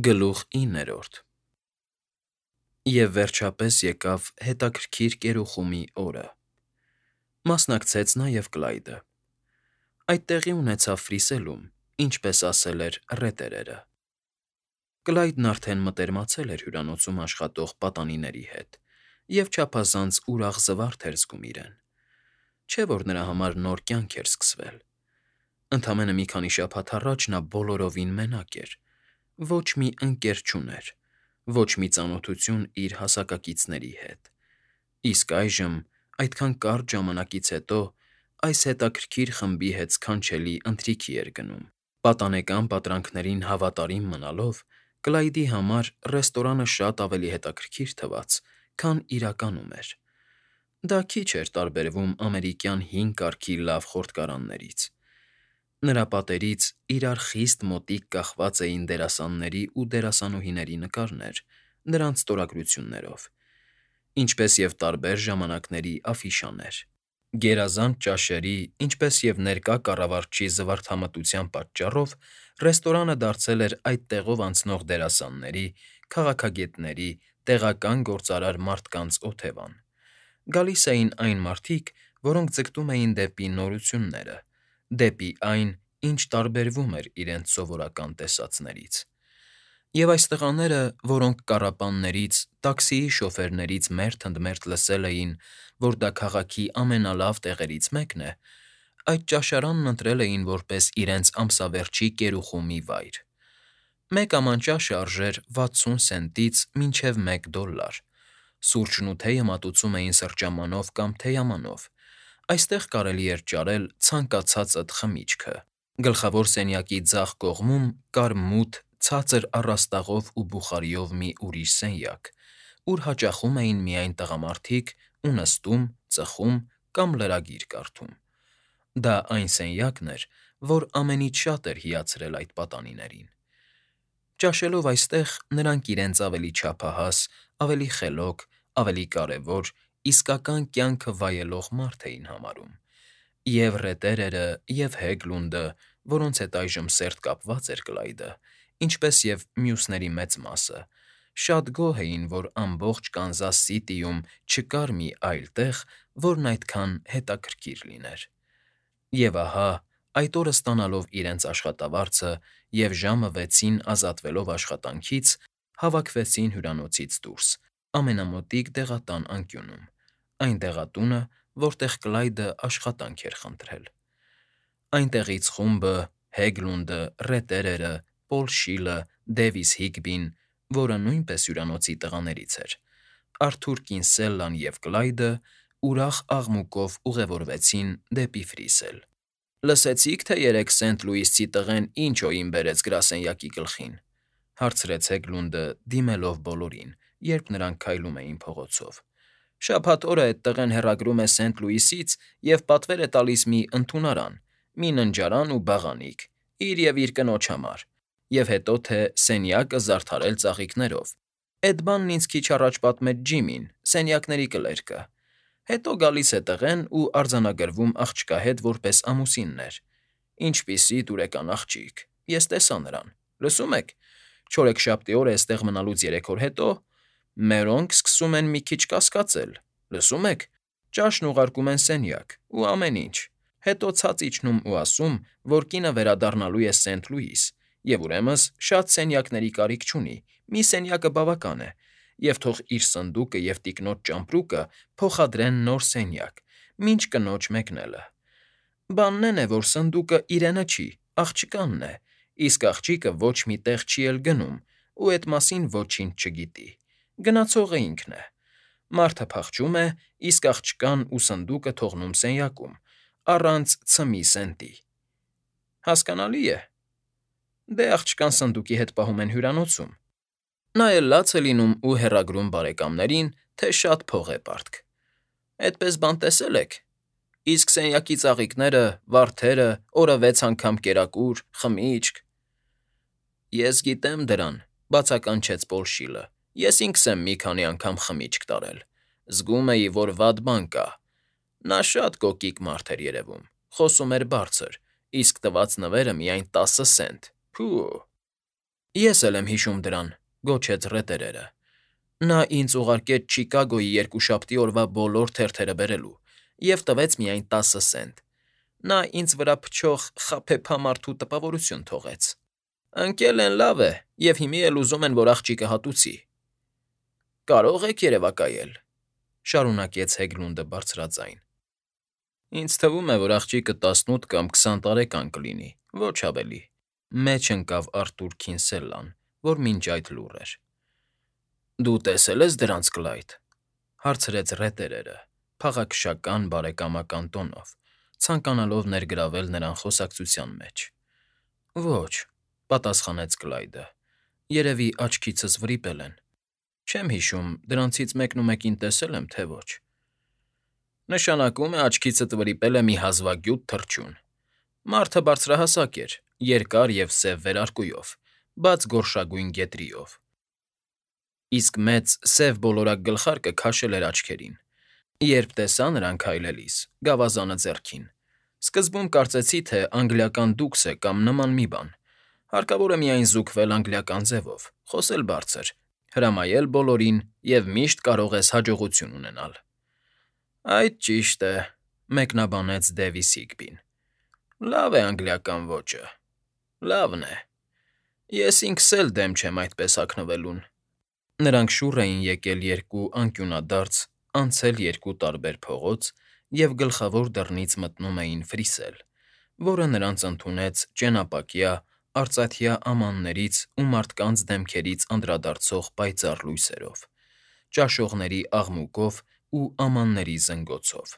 Գլուխ 9. Եվ վերջապես եկավ հետաքրքիր կերուխումի օրը. մասնակցեց նաև Կլայդը. այդ տեղի ունեցավ Ֆրիսելում, ինչպես ասել էր ռետերերը. Կլայդն արդեն մտերմացել էր հյուրանոցում աշխատող պատանիների հետ և չափազանց ուրախ զվարթ էր զգում իրեն, չէ՞ որ նրա համար նոր կյանք էր սկսվել. ընդամենը մի քանի շաբաթ առաջ նա բոլորովին մենակ էր, ոչ մի ընկեր չուներ, ոչ մի ծանոթություն իր հասակակիցների հետ, իսկ այժմ, այդքան կարճ ժամանակից հետո, այս հետաքրքիր խմբի հետ սքանչելի ընթրիքի էր գնում. պատանեկան պատրանքներին հավատարիմ մնալով, Կլայդի համար ռեստորանը շատ ավելի հետաքրքիր թվաց, քան իրականում էր. դա քիչ էր տարբերվում ամերիկյան հին կարգի լավ խորտկարաններից. նրա պատերից իրար խիստ մոտիկ կախված էին դերասանների ու դերասանուհիների նկարներ, նրանց ստորագրություններով, ինչպես և տարբեր ժամանակների աֆիշաներ. գերազանց ճաշերի, ինչպես և ներկա կառավարչի զվարթամտության պատճառով ռեստորանը դարձել էր այդ տեղով անցնող դերասանների, քաղաքագետների, տեղական գործարար մարդկանց օթևան. գալիս էին այն մարդիկ, որոնք ձգտում էին դեպի նորությունները, դեպի այն, ինչ տարբերվում էր իրենց սովորական տեսածներից. և այս տղաները, որոնք կառապաններից, տաքսիի շոֆերներից մերթ ընդ մերթ լսել էին, որ դա քաղաքի ամենալավ տեղերից մեկն է, այդ ճաշարանն ընտրել էին որպես իրենց ամսավերջի կերուխումի վայր. մեկ աման ճաշը արժեր 60 սենտից մինչև $1, սուրճն ու թեյը մատուցում էին սրճամանով կամ թեյամանով, այստեղ կարելի էր ճարել ցանկացածդ խմիչքը. գլխավոր սենյակի ձախ կողմում կար մութ, ցածր առաստաղով ու բուխարիով մի ուրիշ սենյակ, ուր հաճախում էին միայն տղամարդիկ ու նստում, ծխում կամ լրագիր կարդում. դա այն սենյակն էր, որ ամենից շատ էր հիացրել այդ պատանիներին. ճաշելով այստեղ, նրանք իրենց ավելի չափահաս, ավելի խելոք, ավելի կարևոր, իսկական կյանքը վայելող մարդ էին համարում, և ռետերերը, և Հեգլունդը, որոնց հետ այժմ սերտ կապված էր Կլայդը, ինչպես և մյուսների մեծ մասը, շատ գոհ էին, որ ամբողջ Կանզաս Սիթիում չկար մի այլ տեղ, որն այդքան հետաքրքիր լիներ. և ահա, այդ օրը ստանալով իրենց աշխատավարձը և ժամը 6-ին ազատվելով աշխատանքից, հավաքվեցին հյուրանոցից դուրս, ամենամոտիկ դեղատան անկյունում, այն դեղատունը, որտեղ Կլայդը աշխատանք էր խնդրել. այնտեղից խումբը, Հեգլունդը, ռետերերը, Պոլ Շիլը, Դեվիս Հիգբին, որը նույնպես հյուրանոցի տղաներից էր, Արթուր Կինսելլան և Կլայդը ուրախ աղմուկով ուղևորվեցին դեպի Ֆրիսել. «Լսեցի՞ք, թե երեկ Սենթ Լուիսցի տղեն ինչ օին բերեց գրասենյակի գլխին», հարցրեց Հեգլունդը, դիմելով բոլորին, երբ նրանք քայլում էին փողոցով. «շաբաթ օրը էդ տղեն հեռագրում է Սենթ Լուիսից և պատվեր է տալիս մի ընդունարան, մի ննջարան ու բաղանիք, իր և իր կնոջ համար, և հետո թե սենյակը զարդարել ծաղիկներով, էդ բանն ինձ քիչ առաջ պատմեց Ջիմին, սենյակների կլերկը, հետո գալիս է տղեն ու արձանագրվում աղջկա հետ որպես ամուսիններ, ինչպիսի դուրեկան աղջիկ, ես տեսա նրան, լսում եք, չորեքշաբթի օրը էստեղ մնալուց 3 օր հետո, մերոնք սկսում են մի քիչ կասկածել, լսում եք, ճաշն ուղարկում են սենյակ, ու ամեն ինչ, հետո ցած իջնում ու ասում, որ կինը վերադառնալու է Սենթ Լուիս, և ուրեմն շատ սենյակների կարիք չունի, մի սենյակը բավական է, և թող իր սնդուկը և տիկնոջ ճամպրուկը փոխադրեն նոր սենյակ, մինչ կնոջ մեկնելը. բանն էն է, որ սնդուկը իրենը չի, աղջկանն է, իսկ աղջիկը ոչ մի տեղ չի էլ գնում ու էդ մասին ոչինչ չգիտի, գնացողը ինքն է, մարդը փախչում է, իսկ աղջկան ու սնդուկը թողնում սենյակում, առանց ցմի սենտի, հասկանալի՞ է, դե աղջկան սնդուկի հետ պահում են հյուրանոցում, նա էլ լաց է լինում ու հեռագրում բարեկամներին, թե շատ փող է պարտք, էդպես բան տեսե՞լ եք, իսկ սենյակի ծաղիկները, վարդերը, օրը 6 անգամ կերակուր, խմիչք… Ես գիտեմ դրան,֊ բացականչեց Պոլ Շիլը, ես ինքս եմ մի քանի անգամ խմիչք տարել, զգում էի, որ վատ բան կա, նա շատ կոկիկ մարդ էր երևում, խոսում էր բարձր, իսկ տված նվերը միայն 10 սենտ, փո՜ւ… Ես էլ եմ հիշում դրան, գոչեց ռետերերը։ Նա ինձ ուղարկեց Չիկագոյի երկուշաբթի օրվա բոլոր թերթերը բերելու և տվեց միայն 10 սենտ։ Նա ինձ վրա փչող խաբեբա մարդու տպավորություն թողեց։ Ընկել են լավ է, և հիմի էլ ուզում են, որ աղջիկը հատուցի։ Կարող եք երևակայել, շարունակեց Հեգլունդը բարձրաձայն։ Ինձ թվում է, որ աղջիկը 18 կամ 20 տարեկան կլինի, ոչ ավելի։ Մեջ ընկավ Արտուր Քինսելլան, որ մինչ այդ լուռ էր։ Դու տեսել ես դրանց, Կլայդ,֊ հարցրեց ռետերերը, փաղաքշական բարեկամական տոնով, ցանկանալով ներգրավել նրան խոսակցության մեջ։ Ոչ,֊ պատասխանեց Կլայդը։ Երևի աչքիցս վրիպել են։ Չեմ հիշում, դրանցից մեկնումեկին տեսել եմ, թե ոչ։ Նշանակում է աչքիցդ վրիպել է մի հազվագյուտ թռչուն։ Մարդը բարձրահասակ էր, երկար և սև վերարկուով, բաց գորշագույն գետրիով։ Իսկ մեծ սև բոլորակ գլխարկը քաշել էր աչքերին։ Երբ տեսա նրան քայլելիս, գավազանը ձեռքին, սկզբում կարծեցի, թե անգլիական դուքս է կամ նման մի բան։ Հարկավոր է միայն զուգվել անգլիական ձևով, խոսել բարձր, հրամայել բոլորին և միշտ կարող ես հաջողություն ունենալ։ Այդ ճիշտ է,֊ մեկնաբանեց Դեվիս Հիգբին։ Լավ է անգլիական ոճը։ Լավն է։ Ես ինքս էլ դեմ չեմ այդպես հագնվելուն։ Նրանք շուռ էին եկել երկու անկյունադարձ, անցել երկու տարբեր փողոց և գլխավոր դռնից մտնում էին Ֆրիսել, որը նրանց ընդունեց ճենապակյա, արծաթյա ամաններից ու մարդկանց դեմքերից անդրադարձող պայծառ լույսերով, ճաշողների աղմուկով ու ամանների զնգոցով։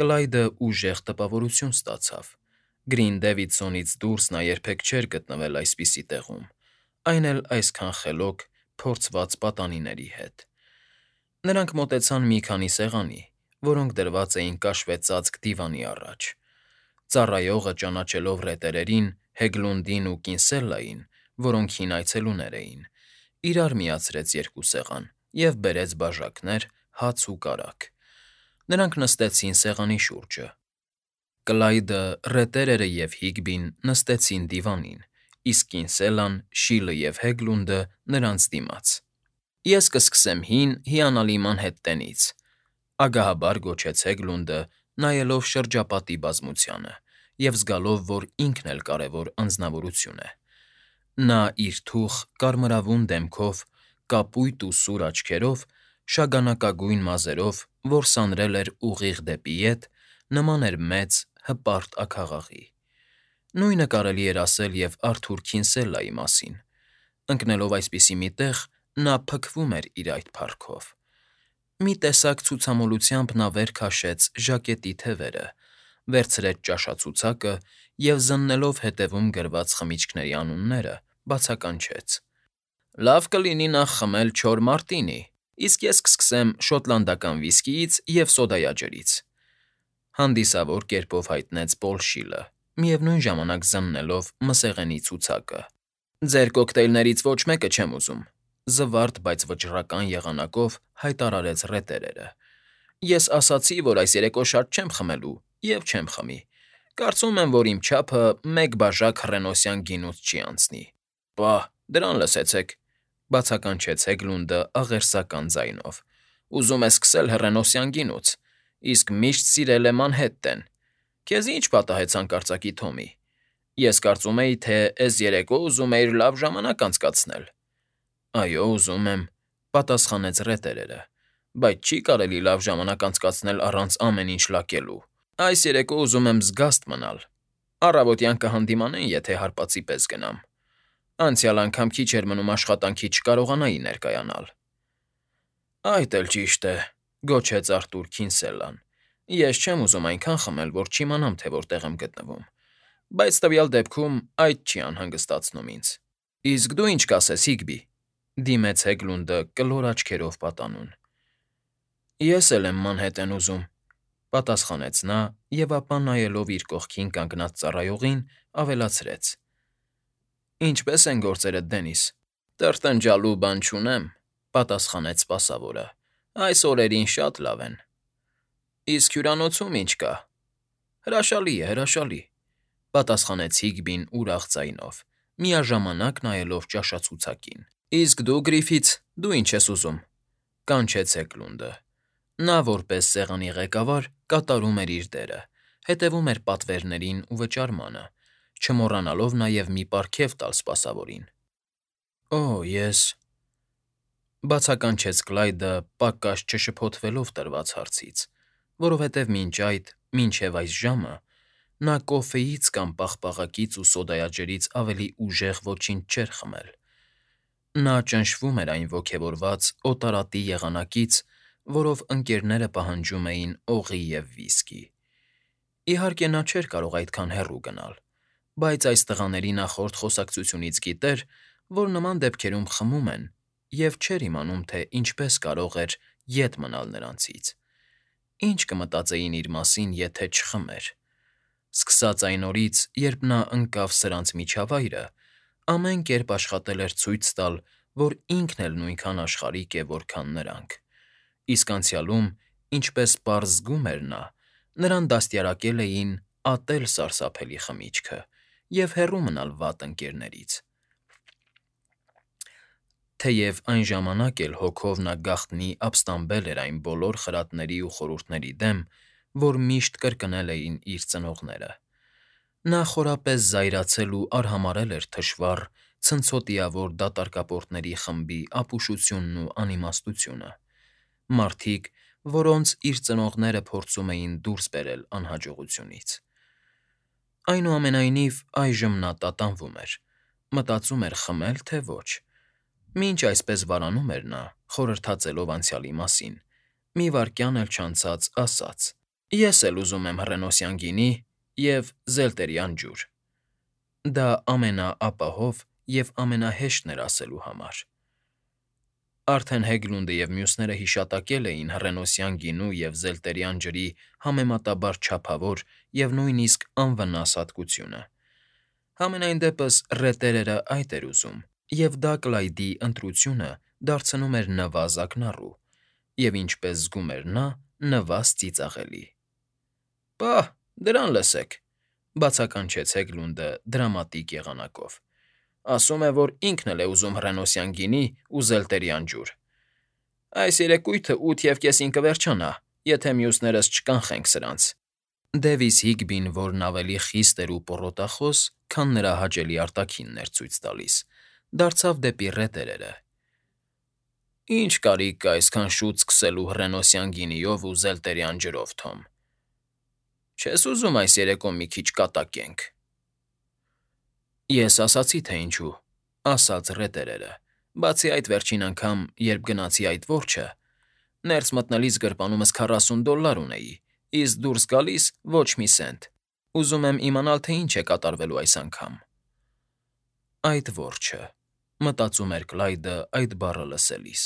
Կլայդը ուժեղ տպավորություն ստացավ։ Գրինդեվիդսոնից դուրս նա երբեք չէր գտնվել այսպիսի տեղում, այն էլ այսքան խելոք, փորձված պատանիների հետ։ Նրանք մոտեցան մի քանի սեղանի, որոնք դրված էին կաշվեցածկ դիվանի առաջ։ Ծառայողը, ճանաչելով ռետերերին, Հեգլունդին ու Կինսելլային, որոնք հին այցելուներ էին, իրար միացրեց երկու սեղան և բերեց բաժակներ, հաց ու կարագ։ Նրանք նստեցին սեղանի շուրջը։ Կլայդը, ռետերերը և Հիգբին նստեցին դիվանին, իսկ Կինսելլան, Շիլը և Հեգլունդը նրանց դիմաց։ Ես կսկսեմ հին, հիանալի Մանհեթտենից,֊ ագահաբար գոչեց Հեգլունդը, նայելով շրջապատի բազմությանը և զգալով, որ ինքն էլ կարևոր անձնավորություն է։ Նա իր թուխ, կարմրավուն դեմքով, կապույտ ու սուր աչքերով, շագանակագույն մազերով, որ սանրել էր ուղիղ դեպի ետ, նման էր մեծ, հպարտ աքաղաղի։ Նույնը կարելի էր ասել և Արթուր Քինսելլայի մասին։ Ընկնելով այսպիսի մի տեղ, նա փքվում էր իր այդ փառքով։ Մի տեսակ ցուցամոլությամբ նա վեր քաշեց ժակետի թևերը, վերցրեց ճաշացուցակը և, զննելով հետևում գրված խմիչքների անունները, բացականչեց. Լավ կլինի նախ խմել չոր մարտինի, իսկ ես կսկսեմ շոտլանդական վիսկիից և սոդայաջրից,֊ հանդիսավոր կերպով հայտնեց Պոլ Շիլը, միևնույն ժամանակ զննելով մսեղենի ցուցակը։ Ձեր կոկտեյլներից ոչ մեկը չեմ ուզում,֊ զվարթ, բայց վճռական եղանակով հայտարարեց ռետերերը։ Ես ասացի, որ այս երեկո շատ չեմ խմելու և չեմ խմի։ Կարծում եմ, որ իմ չափը մեկ բաժակ հռենոսյան գինուց չի անցնի։ Պահ, դրան լսեցեք,֊ բացականչեց Հեգլունդը աղերսական ձայնով։ Ուզում է սկսել հռենոսյան գինուց, իսկ միշտ սիրել է Մանհեթտեն։ Քեզ ի՞նչ պատահեց հանկարծակի, Թոմի։ Ես կարծում էի, թե էս երեկո ուզում էիր լավ ժամանակ անցկացնել։ Այո, ուզում եմ,֊ պատասխանեց ռետերերը, բայց չի կարելի լավ ժամանակ անցկացնել առանց ամեն ինչ լակելու։ Այս երեկո ուզում եմ զգաստ մնալ։ Առավոտյան կհանդիմանեն, եթե հարվածի պես գնամ։ Անցյալ անգամ քիչ էր մնում աշխատանքի չկարողանայի ներկայանալ։ Այդ էլ ճիշտ է,֊ գոչեց Արտուր Քինսելլան։ Ես չեմ ուզում այնքան խմել, որ չիմանամ, թե որտեղ եմ գտնվում, բայց տվյալ դեպքում այդ չի անհանգստացնում ինձ։ Իսկ դու ինչ կասես, Հիգբի,֊ դիմեց Հեգլունդը կլոր աչքերով պատանուն։ Ես էլ եմ Մանհեթեն ուզում,֊ պատասխանեց նա և ապա, նայելով իր կողքին կանգնած ծառայողին, ավելացրեց. Ինչպե՞ս են գործերդ, Դենիս։ Տրտնջալու բան չունեմ,֊ պատասխանեց սպասավորը։ Այս օրերին շատ լավ են։ Իսկ հյուրանոցում ինչ կա։ Հրաշալի է, հրաշալի,֊ պատասխանեց Հիգբին ուրախ ձայնով, միաժամանակ նայելով ճաշացուցակին։ Իսկ դու, Գրիֆիթ, դու ինչ ես ուզում,֊ կանչեց Էգլունդը։ Նա, որպես սեղանի ղեկավար, կատարում էր իր դերը, հետևում էր պատվերներին ու վճարմանը, չմոռանալով նաև մի պարգև տալ սպասավորին։ «Օ, ես…֊ բացականչեց Կլայդը՝ պակաս չշփոթվելով տրված հարցից, որովհետև մինչ այդ, մինչև այս ժամը, նա կոֆեից կամ պաղպաղակից ու սոդայաջրից ավելի ուժեղ ոչինչ չէր խմել։ Նա ճնշվում էր այն ոգևորված օտարատի եղանակից, որով ընկերները պահանջում էին օղի և վիսկի։ Իհարկե, նա չէր կարող այդքան հեռու գնալ, բայց այս տղաների նախորդ խոսակցությունից գիտեր, որ նման դեպքերում խմում են, և չէր իմանում, թե ինչպես կարող էր ետ մնալ նրանցից։ Ինչ կմտածեին իր մասին, եթե չխմեր։ Սկսած այն օրից, երբ նա ընկավ սրանց միջավայրը, ամեն կերպ աշխատել էր ցույց տալ, որ ինքն էլ նույնքան աշխարհիկ է, որքան նրանք։ Իսկ անցյալում, ինչպես պարզ զգում էր նա, նրան դաստիարակել էին ատել սարսափելի խմիչքը և հեռու մնալ վատ ընկերներից։ Թեև այն ժամանակ էլ հոգով նա գաղտնի ապստամբել էր այն բոլոր խրատների ու խորհուրդների դեմ, որ միշտ կրկնել էին իր ծնողները։ Նա խորապես զայրացել ու արհամարհել էր թշվառ, ցնցոտիավոր դատարկապորտների խմբի ապուշությունն ու անիմաստությունը, մարդիկ, որոնց իր ծնողները փորձում էին դուրս բերել անհաջողությունից։ Այնուամենայնիվ, այժմ նա տատանվում էր, մտածում էր խմել, թե ոչ։ Մինչ այսպես վարանում էր նա, խորհրդածելով անցյալի մասին, մի վայրկյան էլ չանցած ասաց. «Ես էլ ուզում եմ հռենոսյան գինի և զելտերյան ջուր»։ Դա ամենաապահով և ամենահեշտն էր ասելու համար։ Արդեն Հեգլունդը և մյուսները հիշատակել էին հռենոսյան գինու և զելտերյան ջրի համեմատաբար չափավոր և նույնիսկ անվնաս հատկությունը։ Համենայն դեպս ռետերերը այդ էր ուզում, և դա Կլայդի ընտրությունը դարձնում էր նվազ ակնառու, և ինչպես զգում էր նա, նվազ ծիծաղելի։ «Պահ, դրան լսեք,֊ բացականչեց Հեգլունդը դրամատիկ եղանակով։֊ Ասում է, որ ինքն էլ է ուզում հռենոսյան գինի ու զելտերյան ջուր։ Այս երեկույթը 8:30-ին կվերջանա, եթե մյուսներս չկանխենք սրանց»։ Դևիս Հիգբին, որն ավելի խիստ էր ու պոռոտախոս, քան նրա հաճելի արտաքինն էր ցույց տալիս, դարձավ դեպի ռետերերը։ «Ի՞նչ կարիք կա այսքան շուտ սկսելու հռենոսյան գինիով ու զելտերյան ջրով, Թոմ։ Չես ուզում այս երեկո մի քիչ կատակենք»։ «Ես ասացի, թե ինչու,֊ ասաց ռետերերը։ Բացի այդ, վերջին անգամ, երբ գնացի այդ որջը, ներս մտնելիս գրպանումս $40 ունեի, իսկ դուրս գալիս ոչ մի սենտ։ Ուզում եմ իմանալ, թե ինչ է կատարվելու այս անգամ»։ «Այդ որջը,֊ մտածում էր Կլայդը այդ բառը լսելիս։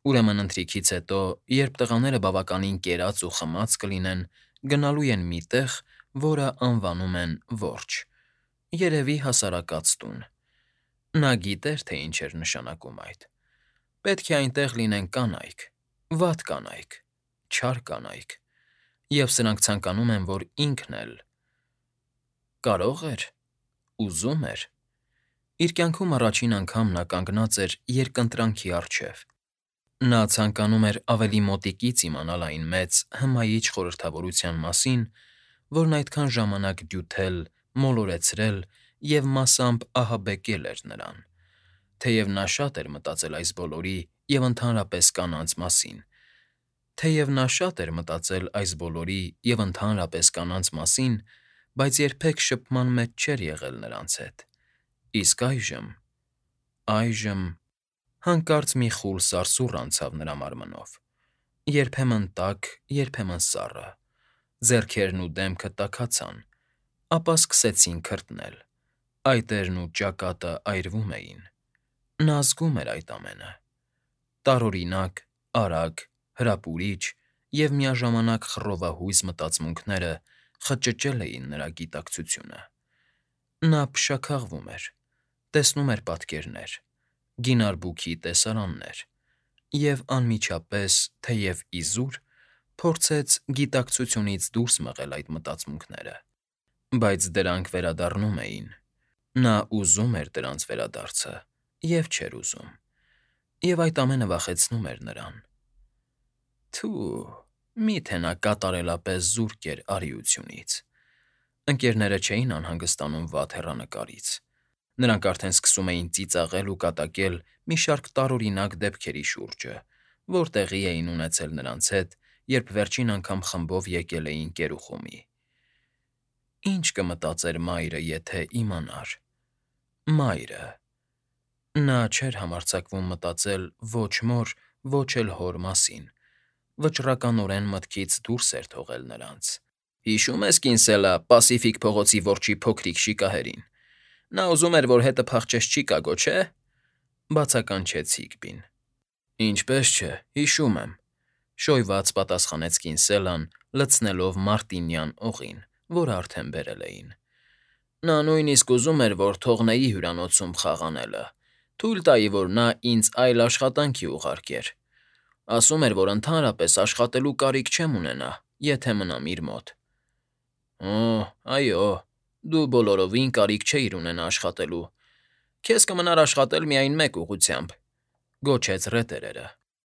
Ուրեմն ընթրիքից հետո, երբ տղաները բավականին կերած ու խմած կլինեն, գնալու են մի տեղ, որը անվանում են Որջ, երևի հասարակած տուն։ Նա գիտեր, թե ինչ էր նշանակում այդ։ Պետք է այնտեղ լինեն կանայք, վատ կանայք, չար կանայք, և սրանք ցանկանում են, որ ինքն էլ… Կարո՞ղ էր, ուզում էր։ Իր կյանքում առաջին անգամ նա կանգնած էր երկընտրանքի առջև։ Նա ցանկանում էր ավելի մոտիկից իմանալ այն մեծ, հմայիչ խորհրդավորության մասին, որն այդքան ժամանակ դյութել, մոլորեցրել և մասամբ ահաբեկել էր նրան։ Թեև նա շատ էր մտածել այս բոլորի և ընդհանրապես կանանց մասին, բայց երբեք շփման մեջ չէր եղել նրանց հետ։ Իսկ այժմ… Հանկարծ մի խուլ սարսուռ անցավ նրա մարմնով, երբեմն տաք, երբեմն սառը, ձեռքերն ու դեմքը տաքացան, ապա սկսեցին քրտնել, այտերն ու ճակատը այրվում էին։ Նա զգում էր այդ ամենը։ Տարօրինակ, արագ, հրապուրիչ և միաժամանակ խռովահույզ մտածմունքները խճճել էին նրա գիտակցությունը։ Նա փշաքաղվում էր, տեսնում էր պատկերներ, գինարբուքի տեսարաններ և անմիջապես, թեև իզուր, փորձեց գիտակցությունից դուրս մղել այդ մտածմունքները, բայց դրանք վերադառնում էին, Նա ուզում էր դրանց վերադարձը և չէր ուզում, և այդ ամենը վախեցնում էր նրան։ Թու, միթե նա կատարելապես զուրկ էր արիությունից։ Ընկերները չէին անհանգստանում վատ հեռանկարից։ Նրանք արդեն սկսում էին ծիծաղել ու կատակել մի շարք տարօրինակ դեպքերի շուրջը, որ տեղի էին ունեցել նրանց հետ, երբ վերջին անգամ խմբով եկել էին Կերուխումի։ Ինչ կմտածեր մայրը, եթե իմանար… Մայրը… Նա չէր համարձակվում մտածել ոչ մոր, ոչ էլ հոր մասին, վճռականորեն մտքից դուրս էր թողել նրանց։ Հիշո՞ւմ ես Կինսելը, Պասիֆիկ փողոցի որջի փոքրիկ շիկահերին… Նա ուզում էր, որ հետը փախչես Չիկագո, չէ՞… Բացականչեց Հիգբին։ Ինչպե՜ս չէ, հիշում եմ,֊ շոյված պատասխանեց Կինսելան, լցնելով մարտինյան օղին, որը արդեն բերել էին։ Նա նույնիսկ ուզում էր, որ թողնեի հյուրանոցում խաղանելը, թույլ տայի, որ նա ինձ այլ աշխատանքի ուղարկեր։ Ասում էր, որ ընդհանրապես աշխատելու կարիք չեմ ունենա, եթե մնամ իր մոտ։ Օ, այո, դու բոլորովին կարիք չէիր ունենա աշխատելու… Քեզ կմնար աշխատել միայն մեկ ուղղությամբ,֊ գոչեց ռետերերը։